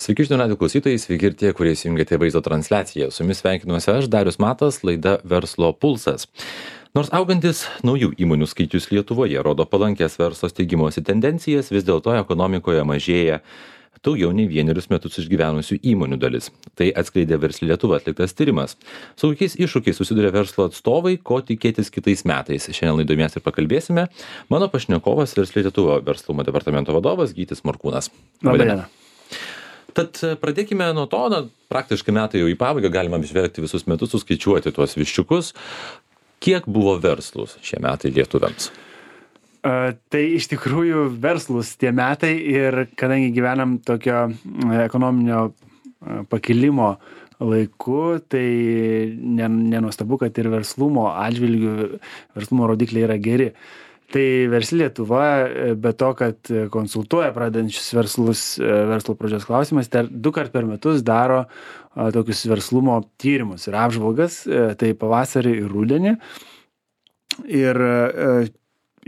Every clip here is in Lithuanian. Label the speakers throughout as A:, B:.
A: Sveiki žinių radijo klausytojai, sveiki ir tie, kurie įsijungėte vaizdo transliaciją. Su jumis sveikinuosi aš, Darius Matas, laida Verslo pulsas. Nors augantis naujų įmonių skaičius Lietuvoje rodo palankės verslo steigimosi tendencijas, vis dėlto ekonomikoje mažėja daugiau nei 1 metus išgyvenusių įmonių dalis. Tai atskleidė Versli Lietuva atliktas tyrimas. Su kokiais iššūkiais susiduria verslo atstovai, ko tikėtis kitais metais. Šiandien laidoje mes ir pakalbėsime. Mano pašnekovas Versli Lietuva verslumo departamento vadovas Gytis Morkūnas.
B: Labai diena.
A: Tad pradėkime nuo to, praktiškai metai jau į pabaigą, galima apžvelgti visus metus, suskaičiuoti tuos viščiukus. Kiek buvo verslus šie metai lietuviams?
B: Tai iš tikrųjų verslus tie metai ir kadangi gyvenam tokio ekonominio pakilimo laiku, tai nenuostabu, kad ir verslumo atžvilgių, verslumo rodikliai yra geri. Tai Versli Lietuva, be to, kad konsultuoja pradedančius verslus verslo pradžios klausimais, 2 kart per metus daro tokius verslumo tyrimus ir apžvalgas, tai pavasarį ir rudenį. Ir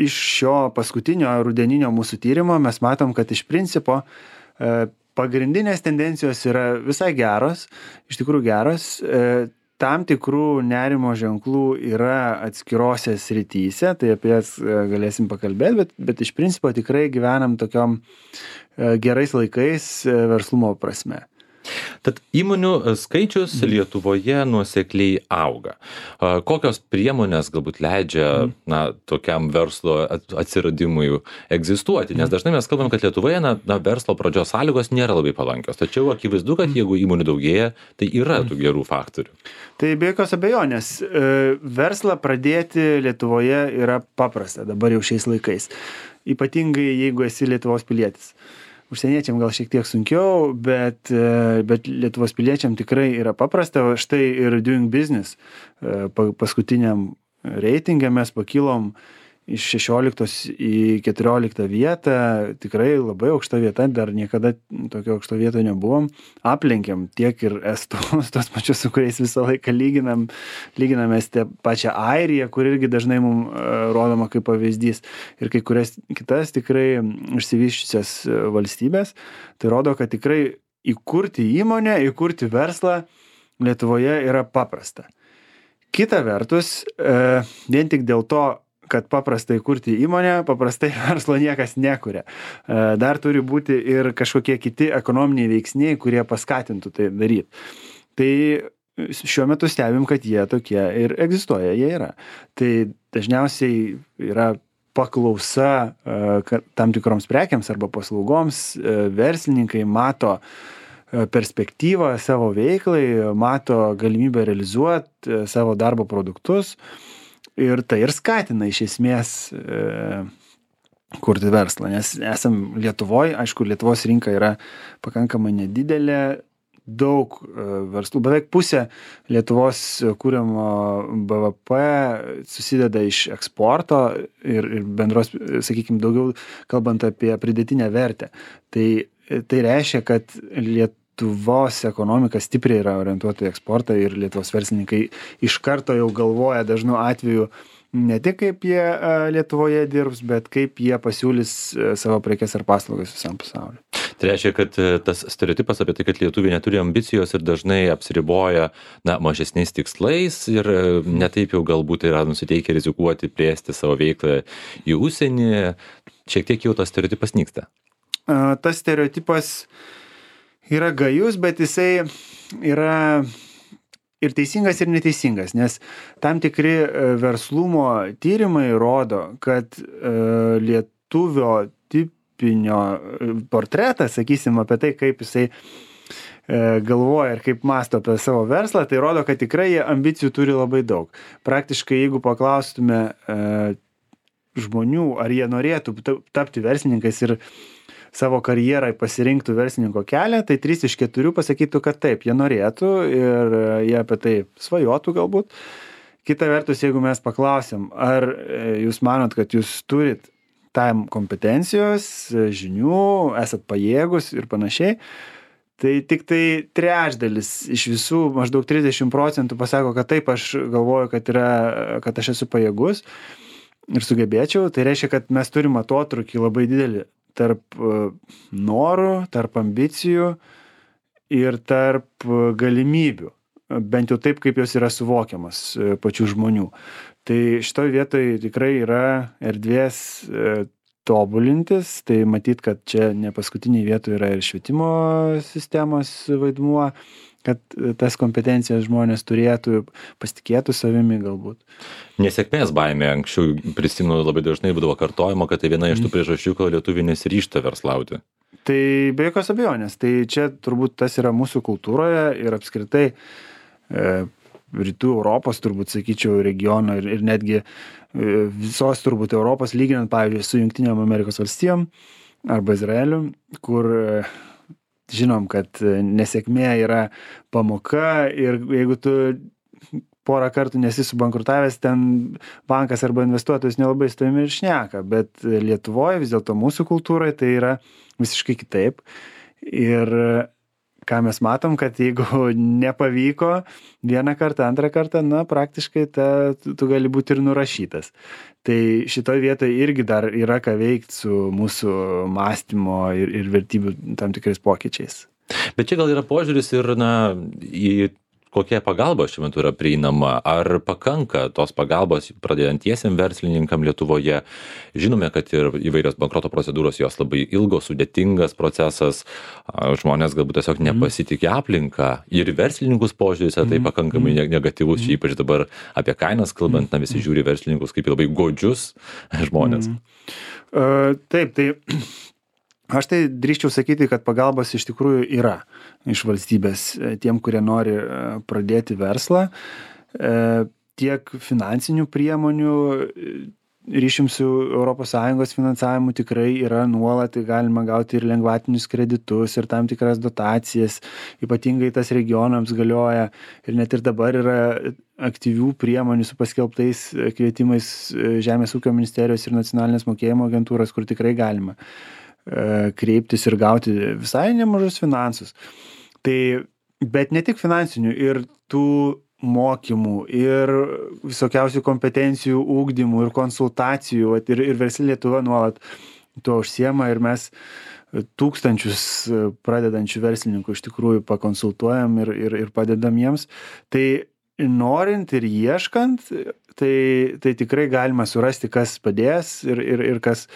B: iš šio paskutinio rudeninio mūsų tyrimo mes matom, kad iš principo pagrindinės tendencijos yra visai geros, iš tikrųjų geros. Tam tikrų nerimo ženklų yra atskirose srityse, tai apie jas galėsim pakalbėti, bet iš principo tikrai gyvenam tokiom gerais laikais verslumo prasme.
A: Tad įmonių skaičius Lietuvoje nuosekliai auga. Kokios priemonės galbūt leidžia tokiam verslo atsiradimui egzistuoti? Nes dažnai mes kalbam, kad Lietuvoje verslo pradžios sąlygos nėra labai palankios. Tačiau akivaizdu, kad jeigu įmonių daugėja, tai yra tų gerų faktorių.
B: Tai be jokios abejonės, verslą pradėti Lietuvoje yra paprasta dabar jau šiais laikais. Ypatingai jeigu esi Lietuvos pilietis. Užsieniečiam gal šiek tiek sunkiau, bet Lietuvos piliečiam tikrai yra paprasta. Štai ir Doing Business paskutiniam reitinge mes pakilom iš 16 į 14 vietą. Tikrai labai aukšta vieta, dar niekada tokio aukšto vieto nebuvom. Aplenkėm tiek ir estus, tos pačius, su kuriais visą laiką lyginamės tą pačią Airiją, kur irgi dažnai mums rodoma kaip pavyzdys, ir kai kurias kitas tikrai išsivysčiusias valstybės. Tai rodo, kad tikrai įkurti įmonę, įkurti verslą Lietuvoje yra paprasta. Kita vertus, vien tik dėl to, kad paprastai kurti įmonę, paprastai verslo niekas nekuria. Dar turi būti ir kažkokie kiti ekonominiai veiksniai, kurie paskatintų tai daryti. Tai šiuo metu stebim, kad jie tokie ir egzistuoja, jie yra. Tai dažniausiai yra paklausa tam tikroms prekiams arba paslaugoms, verslininkai mato perspektyvą savo veiklai, mato galimybę realizuoti savo darbo produktus. Ir tai ir skatina iš esmės kurti verslą, nes esam Lietuvoje, aišku, Lietuvos rinka yra pakankamai nedidelė, daug verslų, beveik pusė Lietuvos kūriamo BVP susideda iš eksporto ir bendros, sakykime, daugiau kalbant apie pridėtinę vertę. Tai reiškia, kad Lietuvos ekonomika stipriai yra orientuota į eksportą ir Lietuvos verslininkai iš karto jau galvoja dažnu atveju ne tik kaip jie Lietuvoje dirbs, bet kaip jie pasiūlys savo prekes ar paslaugas visam pasauliu.
A: Tai reiškia, kad tas stereotipas apie tai, kad lietuviai neturi ambicijos ir dažnai apsiriboja mažesniais tikslais ir netaip jau galbūt yra nusiteikę rizikuoti plėsti savo veiklą į užsienį, šiek tiek jau tas stereotipas nyksta.
B: Tas stereotipas yra gajus, bet jisai yra ir teisingas, ir neteisingas, nes tam tikri verslumo tyrimai rodo, kad lietuvio tipinio portretą, sakysim, apie tai, kaip jisai galvoja ir kaip mąsto apie savo verslą, tai rodo, kad tikrai jie ambicijų turi labai daug. Praktiškai, jeigu paklaustume žmonių, ar jie norėtų tapti verslininkais ir savo karjerai pasirinktų verslininko kelią, tai 3 iš 4 pasakytų, kad taip, jie norėtų ir jie apie tai svajotų galbūt. Kita vertus, jeigu mes paklausim, ar jūs manot, kad jūs turit tam kompetencijos, žinių, esat pajėgus ir panašiai, tai tik tai trečdalis iš visų, maždaug 30% pasako, kad taip, aš galvoju, kad aš esu pajėgus ir sugebėčiau. Tai reiškia, kad mes turim atotrūkį labai didelį tarp norų, tarp ambicijų ir tarp galimybių, bent jau taip, kaip jos yra suvokiamas pačių žmonių. Tai šitoj vietoj tikrai yra erdvės tobulintis, tai matyt, kad čia ne paskutiniai vietoj yra ir švietimo sistemos vaidmuo, kad tas kompetencijas žmonės turėtų, pasitikėtų savimi galbūt.
A: Nesėkmės baimė, anksčiau prisimenu labai dažnai būdavo kartojama, kad tai viena iš tų priežasčių, kodėl lietuviai nesiryžta verslauti.
B: Tai be jokios abejonės, tai čia turbūt tas yra mūsų kultūroje ir apskritai rytų Europos, turbūt sakyčiau, regiono ir netgi visos turbūt Europos, lyginant, pavyzdžiui, su Jungtinėm Amerikos valstijom arba Izraeliu, kur žinom, kad nesėkmė yra pamoka ir jeigu tu porą kartų nesi subankrutavęs, ten bankas arba investuotojas nelabai su tavimi ir šneka, bet Lietuvoje vis dėlto mūsų kultūrai tai yra visiškai kitaip. Ir ką mes matom, kad jeigu nepavyko vieną kartą, antrą kartą, praktiškai tu gali būti ir nurašytas. Tai šitoj vietoje irgi dar yra ką veikti su mūsų mąstymo ir vertybių tam tikrais pokyčiais.
A: Bet čia gal yra požiūris ir į kokia pagalba šiuo metu yra prieinama, ar pakanka tos pagalbos pradedantiesiem verslininkam Lietuvoje. Žinome, kad ir įvairios bankroto procedūros jos labai ilgos, sudėtingas procesas, žmonės galbūt tiesiog nepasitikė aplinką ir verslininkus požiūris tai pakankamai negatyvus, ypač dabar apie kainas kalbant, visi žiūri verslininkus kaip labai godžius žmonės.
B: Taip, tai aš tai drįsčiau sakyti, kad pagalbos iš tikrųjų yra iš valstybės tiem, kurie nori pradėti verslą. Tiek finansinių priemonių ryšim su ES finansavimu tikrai yra nuolat, galima gauti ir lengvatinius kreditus, ir tam tikras dotacijas, ypatingai tas regionams galioja ir net ir dabar yra aktyvių priemonių su paskelbtais kvietimais Žemės ūkio ministerijos ir nacionalinės mokėjimo agentūros, kur tikrai galima kreiptis ir gauti visai nemažus finansus. Tai, bet ne tik finansinių, ir tų mokymų, ir visokiausių kompetencijų ūkdymų, ir konsultacijų, ir Versli Lietuva nuolat tuo užsiema ir mes tūkstančius pradedančių verslininkų iš tikrųjų pakonsultuojam ir padedam jiems. Tai norint ir ieškant, tai tikrai galima surasti, kas padės ir kas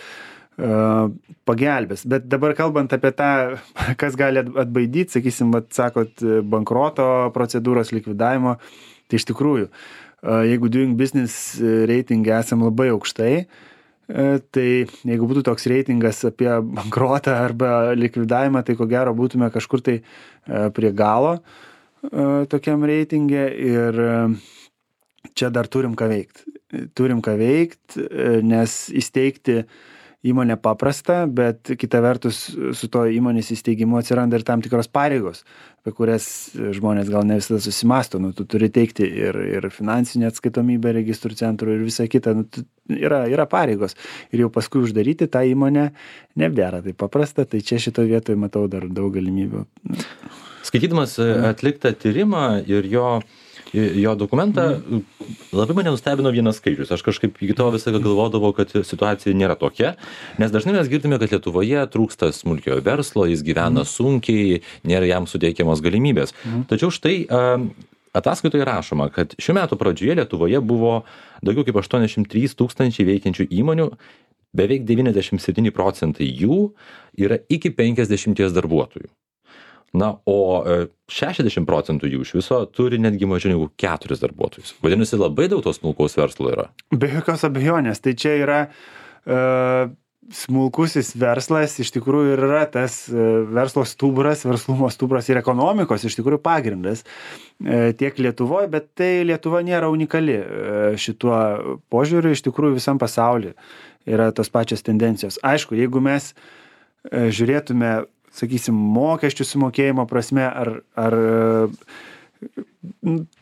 B: pagelbės. Bet dabar kalbant apie tą, kas gali atbaidyti, sakysim, sakot, bankroto procedūros likvidavimo, tai iš tikrųjų, jeigu Doing Business reitinge esam labai aukštai, tai jeigu būtų toks reitingas apie bankrotą arba likvidavimą, tai ko gero būtume kažkur tai prie galo tokiam reitinge ir čia dar turim ką veikti. Turim ką veikti, nes įsteigti įmonė paprasta, bet kita vertus su to įmonės įsteigimu atsiranda ir tam tikros pareigos, apie kurias žmonės gal ne visada susimąsto. Tu turi teikti ir finansinę atskaitomybę registrų centrų ir visą kitą. Yra pareigos. Ir jau paskui uždaryti tą įmonę nebėra taip paprasta, tai čia šitoje vietoje matau dar daug galimybių.
A: Skaitydamas atliktą tyrimą ir jo dokumentą, labai mane nustebino vienas skaičius. Aš kažkaip iki to visą galvodavau, kad situacija nėra tokia, nes dažnai mes girdime, kad Lietuvoje trūksta smulkiojo verslo, jis gyvena sunkiai, nėra jam suteikiamos galimybės. Tačiau štai ataskaitoje rašoma, kad šių metų pradžioje Lietuvoje buvo daugiau kaip 83 tūkstančiai veikiančių įmonių, beveik 97% jų yra iki 50 darbuotojų. O 60% jų iš viso turi netgi mažiau negu 4 darbuotojus. Vadinasi, labai daug tos smulkaus verslo yra.
B: Be jokios abejonės. Tai čia yra smulkusis verslas, iš tikrųjų yra tas verslo stuburas, verslumo stuburas ir ekonomikos iš tikrųjų pagrindas tiek Lietuvoje, bet tai Lietuva nėra unikali šituo požiūriu, iš tikrųjų visam pasaulyje yra tos pačios tendencijos. Aišku, jeigu mes žiūrėtume, sakysim, mokesčių sumokėjimo prasme ar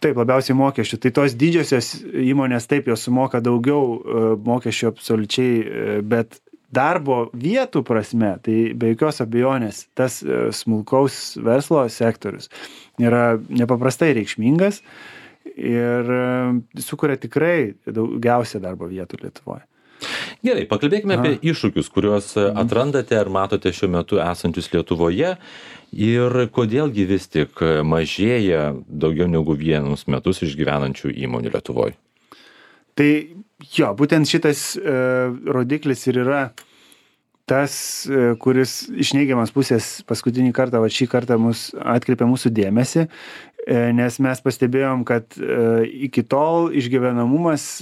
B: taip labiausiai mokesčių, tai tos didžiosios įmonės taip jos sumoka daugiau mokesčių absoliučiai, bet darbo vietų prasme, tai be jokios abejonės tas smulkaus verslo sektorius yra nepaprastai reikšmingas ir sukuria tikrai daugiausia darbo vietų Lietuvoje.
A: Gerai, pakalbėkime apie iššūkius, kuriuos atrandate ar matote šiuo metu esančius Lietuvoje ir kodėlgi vis tik mažėja daugiau negu 1 metus išgyvenančių įmonių Lietuvoje.
B: Tai jo, būtent šitas rodiklis ir yra tas, kuris iš neigiamas pusės paskutinį kartą, šį kartą mus atkreipė mūsų dėmesį, nes mes pastebėjom, kad iki tol išgyvenamumas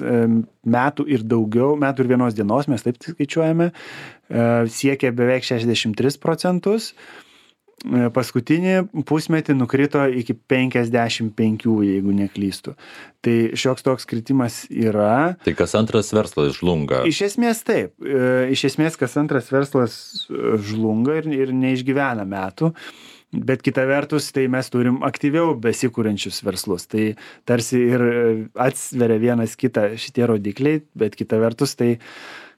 B: metų ir daugiau, metų ir 1 dienos, mes taip skaičiuojame, siekia beveik 63%. Paskutinį pusmetį nukrito iki 55, jeigu neklystu. Tai šioks toks kritimas yra.
A: Tai kas antras verslas žlunga?
B: Iš esmės taip. Iš esmės kas antras verslas žlunga ir neišgyvena metų. Bet kita vertus, tai mes turim aktyviau besikūrenčius verslus. Tai tarsi ir atsveria vienas kitą šitie rodikliai, bet kita vertus, tai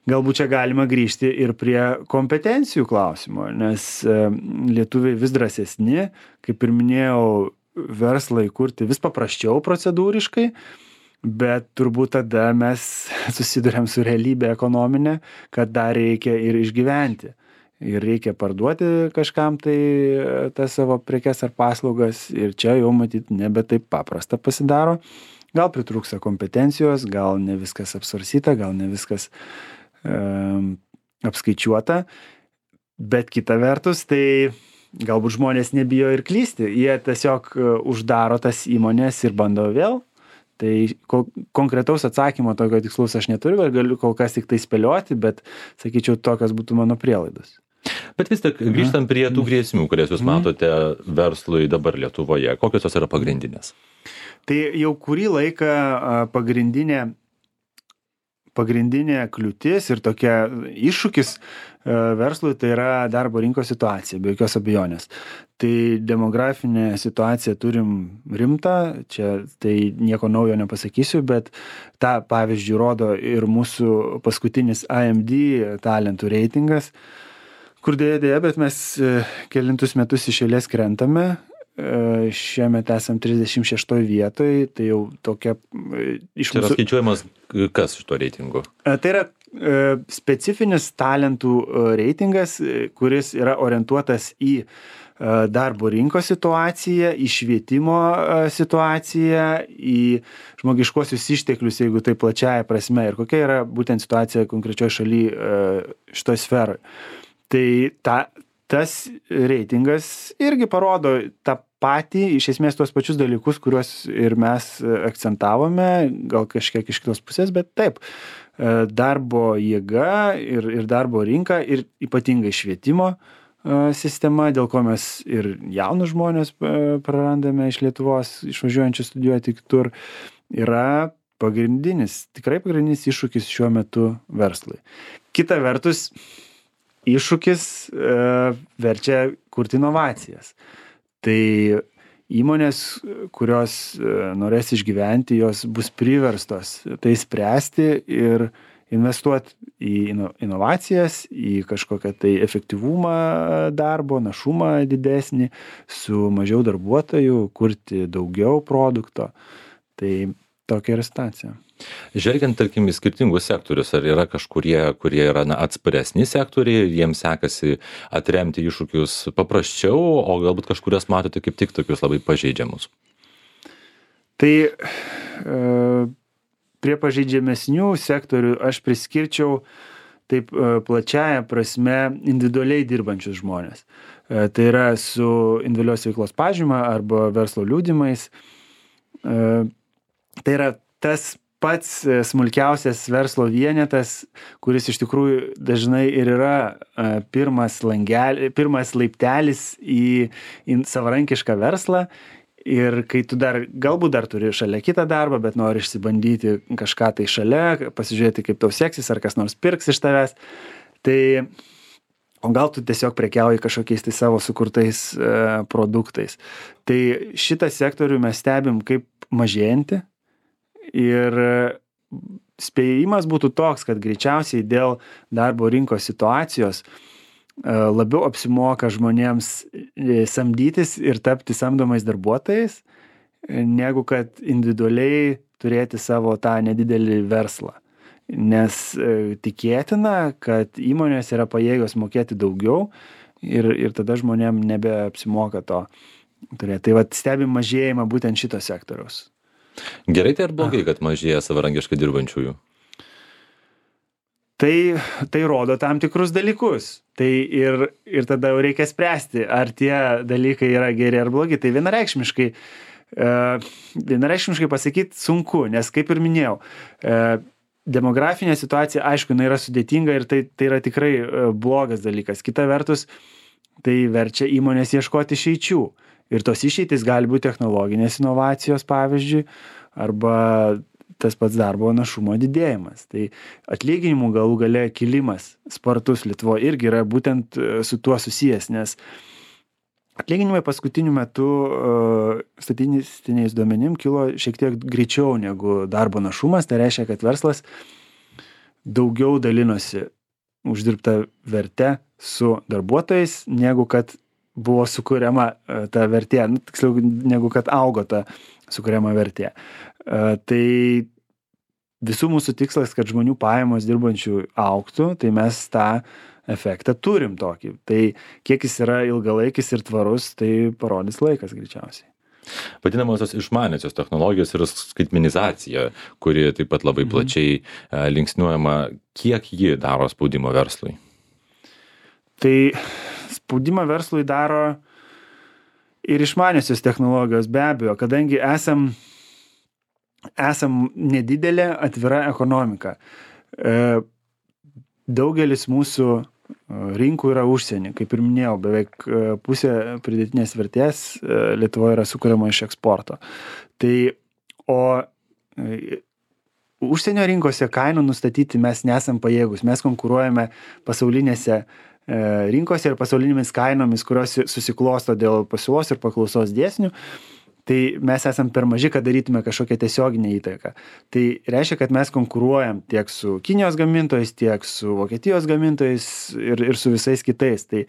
B: galbūt čia galima grįžti ir prie kompetencijų klausimo, nes lietuviai vis drąsesni, kaip ir minėjau, verslą įkurti vis paprasčiau procedūriškai, bet turbūt tada mes susiduriam su realybė ekonominė, kad dar reikia ir išgyventi. Ir reikia parduoti kažkam tai tas savo prekes ar paslaugas ir čia jau matyt nebe taip paprasta pasidaro. Gal pritrūksta kompetencijos, gal ne viskas apsvarstyta, gal ne viskas apskaičiuota, bet kita vertus, tai galbūt žmonės nebijo ir klysti. Jie tiesiog uždaro tas įmonės ir bando vėl. Tai konkretaus atsakymo tokio tikslaus aš neturiu, galiu kol kas tik tai spėlioti, bet sakyčiau, tokios būtų mano prielaidos.
A: Bet vis tik grįžtam prie tų grėsmių, kurias jūs matote verslui dabar Lietuvoje. Kokios jos yra pagrindinės?
B: Tai jau kurį laiką pagrindinė kliūtis ir tokia iššūkis verslui tai yra darbo rinkos situacija, be jokios abejonės. Tai demografinė situacija turim rimtą, čia tai nieko naujo nepasakysiu, bet tą pavyzdžiui rodo ir mūsų paskutinis AMD talentų reitingas, kur dėja, bet mes kelintus metus iš eilės krentame. Šiemet esam 36 vietoj, tai jau tokia iš
A: mūsų... Čia yra skaičiuojamas kas iš to reitingų?
B: Tai yra specifinis talentų reitingas, kuris yra orientuotas į darbo rinkos situaciją, į švietimo situaciją, į žmogiškuosius išteklius, jeigu tai plačiaja prasme, ir kokia yra būtent situacija konkrečioje šalyje šitoj sferoje. Tai tas reitingas irgi parodo tą patį, iš esmės tuos pačius dalykus, kuriuos ir mes akcentavome, gal kažkiek iš kitos pusės, bet taip, darbo jėga ir darbo rinka ir ypatingai švietimo sistema, dėl ko mes ir jaunus žmonės prarandame iš Lietuvos, išvažiuojančių studijuoti kitur, yra tikrai pagrindinis iššūkis šiuo metu verslui. Kita vertus, iššūkis verčia kurti inovacijas. Tai įmonės, kurios norės išgyventi, jos bus priverstos tai spręsti ir investuoti į inovacijas, į kažkokią tai efektyvumą darbo, našumą didesnį, su mažiau darbuotojų, kurti daugiau produkto. Tai tokia yra situacija.
A: Žvelgiant, tarkim, į skirtingus sektorius, ar yra kažkurie, kurie yra atsparesni sektoriai, jiems sekasi atremti iššūkius paprasčiau, o galbūt kažkurias matote kaip tik tokius labai pažeidžiamus?
B: Tai prie pažeidžiamesnių sektorių aš priskirčiau taip plačiaja prasme individualiai dirbančius žmonės. Tai yra su individualios veiklos pažyma arba verslo liudijimais. Tai yra tas pats smulkiausias verslo vienetas, kuris iš tikrųjų dažnai ir yra pirmas laiptelis į savarankišką verslą. Ir kai tu galbūt dar turi šalia kitą darbą, bet nori išsibandyti kažką tai šalia, pasižiūrėti, kaip tau seksis, ar kas nors pirks iš tavęs, tai o gal tu tiesiog prekiauji kažkokiais tai savo sukurtais produktais. Tai šitą sektorių mes stebim kaip mažėjantį. Ir spėjimas būtų toks, kad greičiausiai dėl darbo rinkos situacijos labiau apsimoka žmonėms samdytis ir tapti samdomais darbuotojais, negu kad individualiai turėti savo tą nedidelį verslą. nes tikėtina, kad įmonės yra pajėgios mokėti daugiau ir tada žmonėm nebeapsimoka to turėti. Tai vat stebim mažėjimą būtent šito sektoriaus.
A: Gerai tai ar blogai, kad mažėja savarankiškai dirbančiųjų?
B: Tai rodo tam tikrus dalykus. Tai ir tada jau reikia spręsti, ar tie dalykai yra geri ar blogi. Tai vienareikšmiškai pasakyti sunku, nes kaip ir minėjau, demografinė situacija, aišku, jinai yra sudėtinga ir tai yra tikrai blogas dalykas. Kita vertus, tai verčia įmonės ieškoti išeičių. Ir tos išeitis gali būti technologinės inovacijos, pavyzdžiui, arba tas pats darbo našumo didėjimas. Tai atlyginimų galų gale kilimas spartus Lietuvoje irgi yra būtent su tuo susijęs, nes atlyginimai paskutiniu metu statistiniais duomenim kilo šiek tiek greičiau negu darbo našumas. Tai reiškia, kad verslas daugiau dalinosi uždirbtą vertę su darbuotojais, negu kad buvo sukuriama ta vertė, tiksliau, negu kad augo ta sukuriama vertė. Tai visų mūsų tikslas, kad žmonių pajamos dirbančių augtų, tai mes tą efektą turim tokį. Tai kiek jis yra ilgalaikis ir tvarus, tai parodys laikas greičiausiai.
A: Vadinamosios išmaniosios technologijos ir skaitmenizacija, kuri taip pat labai plačiai linksniuojama, kiek ji daro spaudimo verslui?
B: Tai spaudimą verslui daro ir išmaniosios technologijos, be abejo, kadangi esam nedidelė atvira ekonomika. Daugelis mūsų rinkų yra užsienį. Kaip ir minėjau, beveik pusė pridėtinės vertės Lietuvoje yra sukuriama iš eksporto. O užsienio rinkose kainų nustatyti mes nesam pajėgus. Mes konkuruojame pasaulinėse rinkose ir pasaulinėmis kainomis, kurios susiklosto dėl pasiūlos ir paklausos dėsnių. Tai mes esam per maži, kad darytume kažkokią tiesioginę įtaką. Tai reiškia, kad mes konkuruojam tiek su Kinijos gamintojais, tiek su Vokietijos gamintojais ir su visais kitais. Tai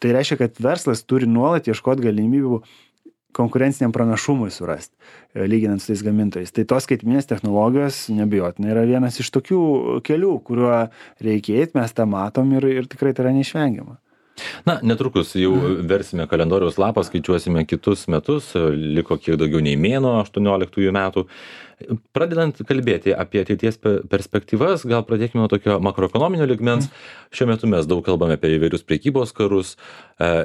B: reiškia, kad verslas turi nuolat ieškoti galimybių konkurenciniam pranašumui surasti, lyginant su tais gamintojais. Tai tos skaitminės technologijos neabejotinai yra vienas iš tokių kelių, kuriuo reikia eiti, mes tą matom ir tikrai tai yra neišvengiama.
A: Na, netrukus jau versime kalendoriaus lapą, skaičiuosime kitus metus, liko kiek daugiau nei mėnuo 18 metų. Pradedant kalbėti apie ateities perspektyvas, gal pradėkime nuo tokio makroekonominio lygmens. Šiuo metu mes daug kalbame apie įvairius prekybos karus.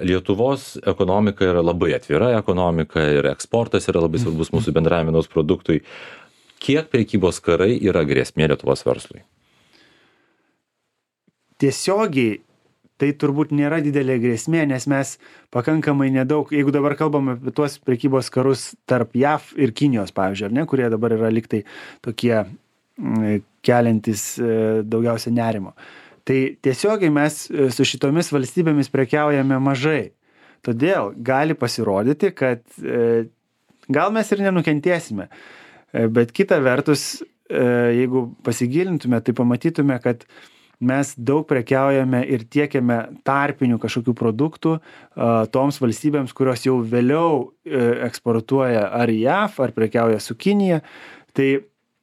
A: Lietuvos ekonomika yra labai atvira ekonomika ir eksportas yra labai svarbus mūsų bendrajam vidaus produktui. Kiek prekybos karai yra grėsmė Lietuvos verslui?
B: Tiesiogiai tai turbūt nėra didelė grėsmė, nes mes pakankamai nedaug, jeigu dabar kalbame apie tuos prekybos karus tarp JAV ir Kinijos, pavyzdžiui, ar ne, kurie dabar yra liktai tokie keliantis daugiausia nerimo. Tai tiesiogiai mes su šitomis valstybėmis prekiaujame mažai. Todėl gali pasirodyti, kad gal mes ir nenukentėsime. Bet kita vertus, jeigu pasigilintume, tai pamatytume, kad mes daug prekiaujame ir tiekiame tarpinių kažkokių produktų toms valstybėms, kurios jau vėliau eksportuoja ar į JAV, ar prekiauja su Kinija. Tai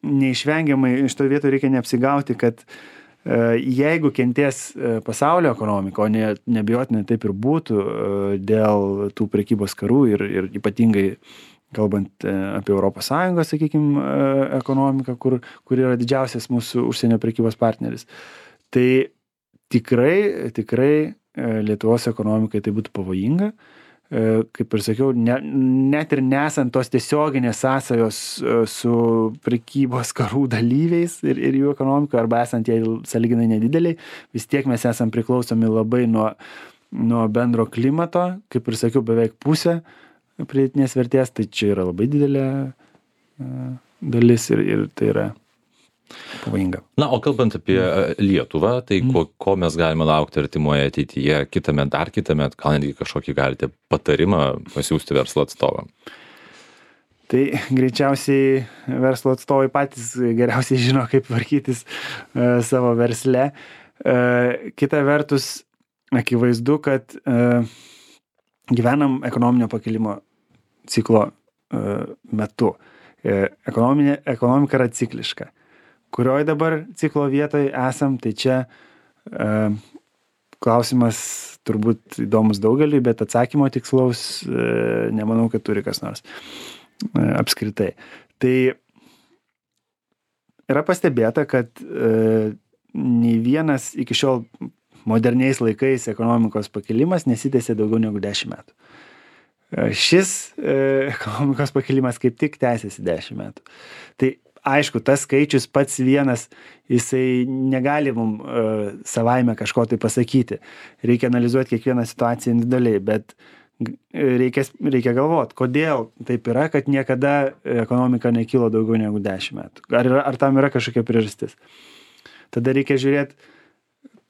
B: neišvengiamai iš to vieto reikia neapsigauti, kad jeigu kentės pasaulio ekonomika, o neabejotinai taip ir būtų dėl tų prekybos karų ir ypatingai kalbant apie Europos Sąjungą, sakykime, ekonomiką, kur yra didžiausias mūsų užsienio prekybos partneris. Tai tikrai Lietuvos ekonomikai tai būtų pavojinga. Kaip ir sakiau, net ir nesant tos tiesioginės sąsajos su prekybos karų dalyviais ir jų ekonomika, arba esant jai sąlyginai nedideliai, vis tiek mes esam priklausomi labai nuo bendro klimato. Kaip ir sakiau, beveik pusė pridėtinės vertės, tai čia yra labai didelė dalis ir tai yra pavojinga.
A: Na, o kalbant apie Lietuvą, tai ko mes galime laukti artimoje ateityje, dar kitąmet, gal netgi kažkokį galite patarimą pasiūsti verslo atstovam?
B: Tai greičiausiai verslo atstovai patys geriausiai žino, kaip tvarkytis savo versle. Kita vertus, akivaizdu, kad gyvenam ekonominio pakilimo ciklo metu. Ekonomika yra cikliška. kurioje dabar ciklo vietoje esam, tai čia klausimas turbūt įdomus daugeliui, bet atsakymo tikslaus nemanau, kad turi kas nors apskritai. Tai yra pastebėta, kad nei vienas iki šiol moderniais laikais ekonomikos pakilimas nesitęsė daugiau negu 10 metų. Šis ekonomikos pakilimas kaip tik tęsiasi 10 metų. Tai aišku, tas skaičius pats vienas, jisai negali mums savaime kažko tai pasakyti. Reikia analizuoti kiekvieną situaciją individualiai, bet reikia galvoti, kodėl taip yra, kad niekada ekonomika nekilo daugiau negu 10 metų. Ar tam yra kažkokia priežastis? Tada reikia žiūrėti,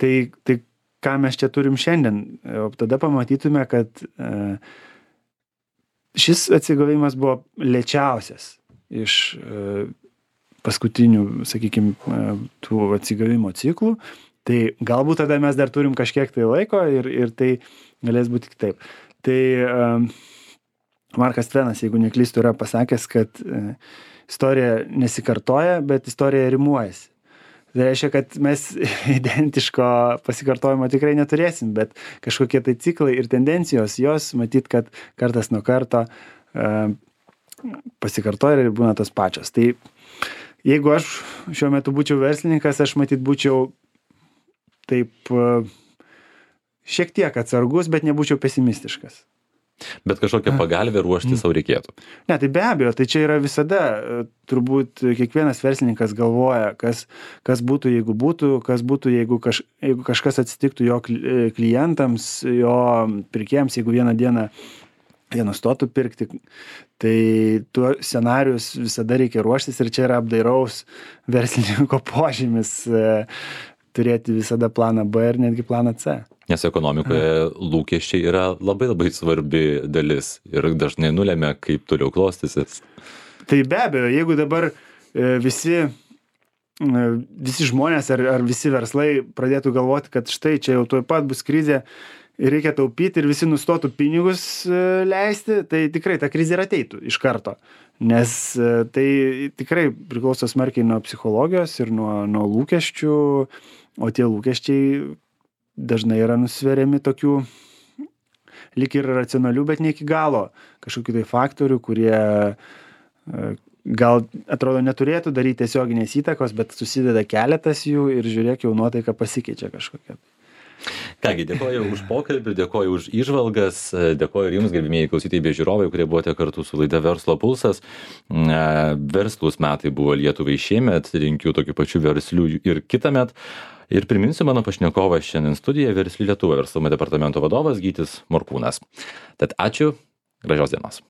B: tai ką mes čia turim šiandien. O tada pamatytume, kad šis atsigavimas buvo lėčiausias iš paskutinių, sakykime, tų atsigavimo ciklų. Tai galbūt tada mes dar turim kažkiek tai laiko ir tai galės būti kitaip. Tai Markas Tvenas, jeigu neklystu, yra pasakęs, kad istorija nesikartoja, bet istorija rimuojasi. Tai reiškia, kad mes identiško pasikartojimo tikrai neturėsim, bet kažkokie tai ciklai ir tendencijos, jos matyt, kad kartas nuo karto pasikartoja ir būna tos pačios. Tai jeigu aš šiuo metu būčiau verslininkas, aš matyt būčiau taip šiek tiek atsargus, bet nebūčiau pesimistiškas.
A: Bet kažkokią pagalbę ruošti savo reikėtų.
B: Ne, tai be abejo, tai čia yra visada, turbūt kiekvienas verslininkas galvoja, kas būtų, jeigu kažkas atsitiktų jo klientams, jo pirkėjams, jeigu vieną dieną jie nustotų pirkti, tai tuo scenarius visada reikia ruoštis ir čia yra apdairaus verslininko požymis turėti visada planą B ir netgi planą C.
A: Nes ekonomikoje lūkesčiai yra labai labai svarbi dalis ir dažnai nulemia, kaip toliau klostysis.
B: Tai be abejo, jeigu dabar visi žmonės ar visi verslai pradėtų galvoti, kad štai čia jau tuoj pat bus krizė ir reikia taupyti ir visi nustotų pinigus leisti, tai tikrai ta krizė ir ateitų iš karto. Nes tai tikrai priklauso smarkiai nuo psichologijos ir nuo lūkesčių, o tie lūkesčiai dažnai yra nusveriami tokių lyg ir racionalių, bet ne iki galo kažkokių tai faktorių, kurie gal atrodo neturėtų daryti tiesioginės įtakos, bet susideda keletas jų ir žiūrėk, jau nuotaika pasikeičia kažkokia.
A: Kągi, dėkoju už pokalbį, dėkoju už įžvalgas, dėkoju ir jums, gerbimieji klausytojai bei žiūrovai, kurie buvote kartu su laida Verslo pulsas. Verslūs metai buvo Lietuvai šiemet, linkiu tokių pačių verslių ir kitąmet. Ir priminsiu mano pašnekovą šiandien studijoje Versli Lietuva verslumo departamento vadovas Gytis Morkūnas. Tad ačiū, gražios dienos.